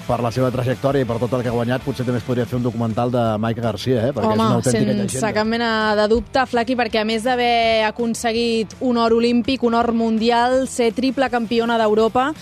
per la seva trajectòria i per tot el que ha guanyat, potser també es podria fer un documental de Maica Garcia, perquè és una autèntica llegenda. Sense cap mena de dubte, Flaqui, perquè a més d'haver aconseguit un or olímpic, un or mundial, ser triple campiona d'Europa,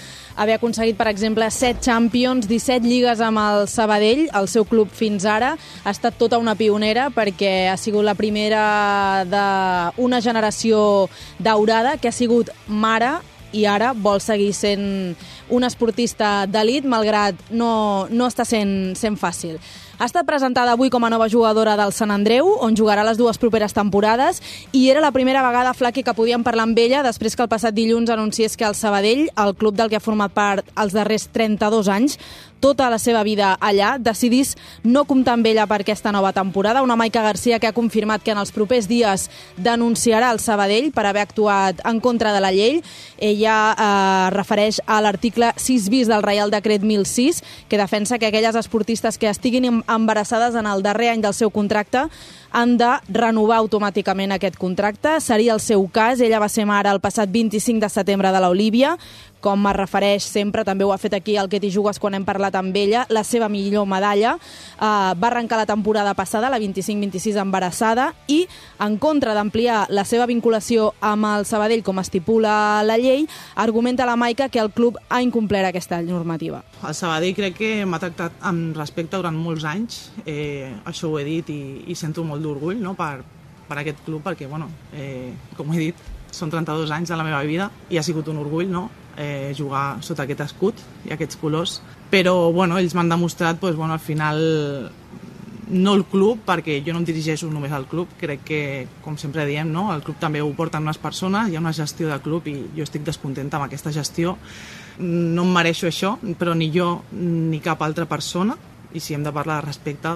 haver aconseguit, per exemple, 7 Champions, 17 lligues amb el Sabadell, el seu club fins ara, ha estat tota una pionera perquè ha sigut la primera d'una generació daurada que ha sigut mare i ara vol seguir sent un esportista d'elit, malgrat no està sent fàcil. Ha estat presentada avui com a nova jugadora del Sant Andreu, on jugarà les 2 properes temporades, i era la primera vegada, Flaqui, que podíem parlar amb ella després que el passat dilluns anunciés que el Sabadell, el club del que ha format part els darrers 32 anys, tota la seva vida allà, decidís no comptar amb ella per aquesta nova temporada. Una Maica Garcia que ha confirmat que en els propers dies denunciarà el Sabadell per haver actuat en contra de la llei. Ella refereix a l'article 6 bis del Reial Decret 1006, que defensa que aquelles esportistes que estiguin embarassades en el darrer any del seu contracte han de renovar automàticament aquest contracte. Seria el seu cas. Ella va ser mare el passat 25 de setembre de l'Olívia. Com es refereix sempre, també ho ha fet aquí el Que t'hi jugues quan hem parlat amb ella, la seva millor medalla. Va arrencar la temporada passada, la 25-26, embarassada, i en contra d'ampliar la seva vinculació amb el Sabadell, com estipula la llei, argumenta la Maica que el club ha incomplert aquesta normativa. El Sabadell crec que m'ha tractat amb respecte durant molts anys, això ho he dit i sento molt d'orgull, no?, per aquest club, perquè, bueno, com he dit, són 32 anys de la meva vida i ha sigut un orgull, no?, jugar sota aquest escut i aquests colors, però bueno, ells m'han demostrat, doncs, bueno, al final no el club, perquè jo no em dirigeixo només al club, crec que, com sempre diem, no?, el club també ho porten unes persones, hi ha una gestió de club i jo estic descontenta amb aquesta gestió. No em mereixo això, però ni jo ni cap altra persona, i si hem de parlar de respecte,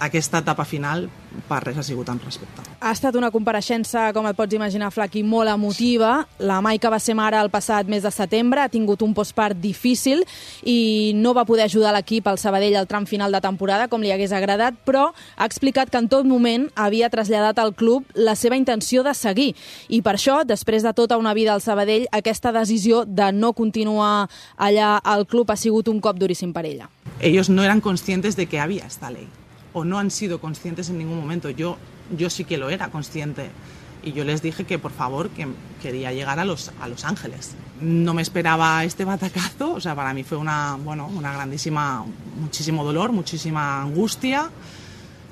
aquesta etapa final per res ha sigut amb respecte. Ha estat una compareixença, com et pots imaginar, Flaqui, molt emotiva. La Maica va ser mare el passat mes de setembre, ha tingut un postpart difícil i no va poder ajudar l'equip al Sabadell al tram final de temporada com li hagués agradat, però ha explicat que en tot moment havia traslladat al club la seva intenció de seguir. I per això, després de tota una vida al Sabadell, aquesta decisió de no continuar allà al club ha sigut un cop duríssim per ella. Ellos no eran conscientes de que había esta ley, o no han sido conscientes en ningún momento. Yo sí que lo era consciente, y yo les dije que por favor, que quería llegar a Los Ángeles. No me esperaba este batacazo, o sea, para mí fue una grandísima, muchísimo dolor, muchísima angustia.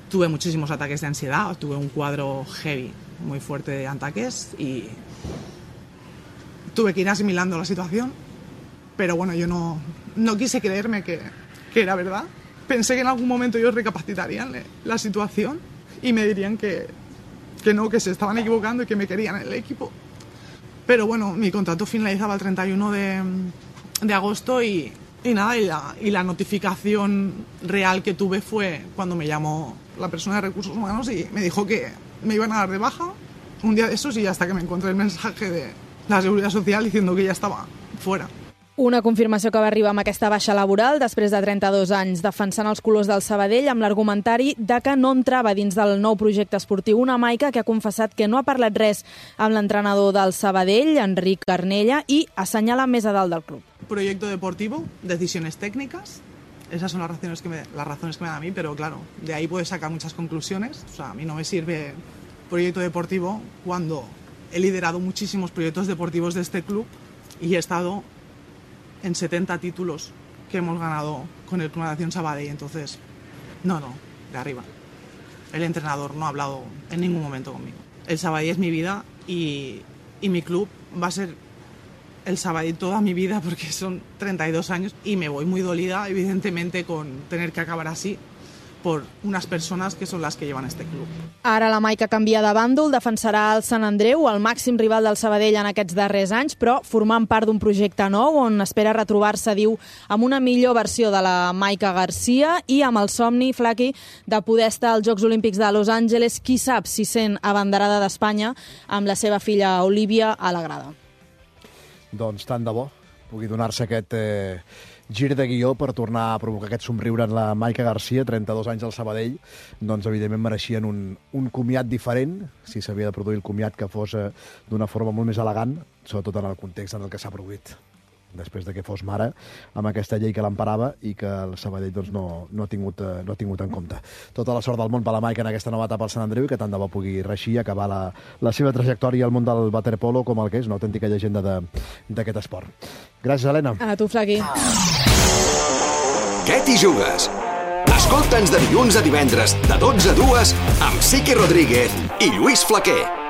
Tuve muchísimos ataques de ansiedad, tuve un cuadro heavy, muy fuerte de ataques, y tuve que ir asimilando la situación, pero bueno, yo no quise creerme que era verdad. Pensé que en algún momento ellos recapacitarían la situación y me dirían que no, que se estaban equivocando y que me querían en el equipo. Pero bueno, mi contrato finalizaba el 31 de agosto y nada, y la notificación real que tuve fue cuando me llamó la persona de Recursos Humanos y me dijo que me iban a dar de baja un día de esos, y hasta que me encontré el mensaje de la Seguridad Social diciendo que ya estaba fuera. Una confirmació que va arribar amb aquesta baixa laboral després de 32 anys defensant els colors del Sabadell amb l'argumentari de que no entrava dins del nou projecte esportiu. Una Maica que ha confessat que no ha parlat res amb l'entrenador del Sabadell, Enric Carnella, i assenyala més a dalt del club. Proyecto deportivo, decisiones técnicas, esas son las razones que me dan a mí, pero claro, de ahí puedes sacar muchas conclusiones. O sea, a mí no me sirve proyecto deportivo cuando he liderado muchísimos proyectos deportivos de este club y he estado en 70 títulos que hemos ganado con el Club Natación Sabadell. Entonces, no, de arriba. El entrenador no ha hablado en ningún momento conmigo. El Sabadell es mi vida y mi club va a ser el Sabadell toda mi vida, porque son 32 años y me voy muy dolida, evidentemente, con tener que acabar así por unes persones que són les que llevan este club. Ara la Maica canvia de bàndol, defensarà el Sant Andreu, el màxim rival del Sabadell en aquests darrers anys, però formant part d'un projecte nou on espera retrobar-se, diu, amb una millor versió de la Maica Garcia i amb el somni, Flaqui, de poder estar als Jocs Olímpics de Los Angeles, qui sap si sent abanderada d'Espanya amb la seva filla Olívia a la grada. Doncs tant de bo pugui donar-se aquest gir de guió per tornar a provocar aquest somriure en la Maica Garcia, 32 anys al Sabadell, doncs evidentment mereixien un comiat diferent, si s'havia de produir el comiat que fos d'una forma molt més elegant, sobretot en el context en el que s'ha produït. després de que fos mare, amb aquesta llei que l'emparava i que el Sabadell doncs, no ha tingut en compte. Tota la sort del món per la Maica en aquesta nova etapa al Sant Andreu i que tant de bo pugui reeixir i acabar la seva trajectòria al món del waterpolo com el que és una autèntica llegenda d'aquest esport. Gràcies, Helena. A tu, Flaqui. Què t'hi jugues? Escolta'ns de dilluns a divendres, de 12 a 2, amb Siqui Rodríguez i Lluís Flaquer.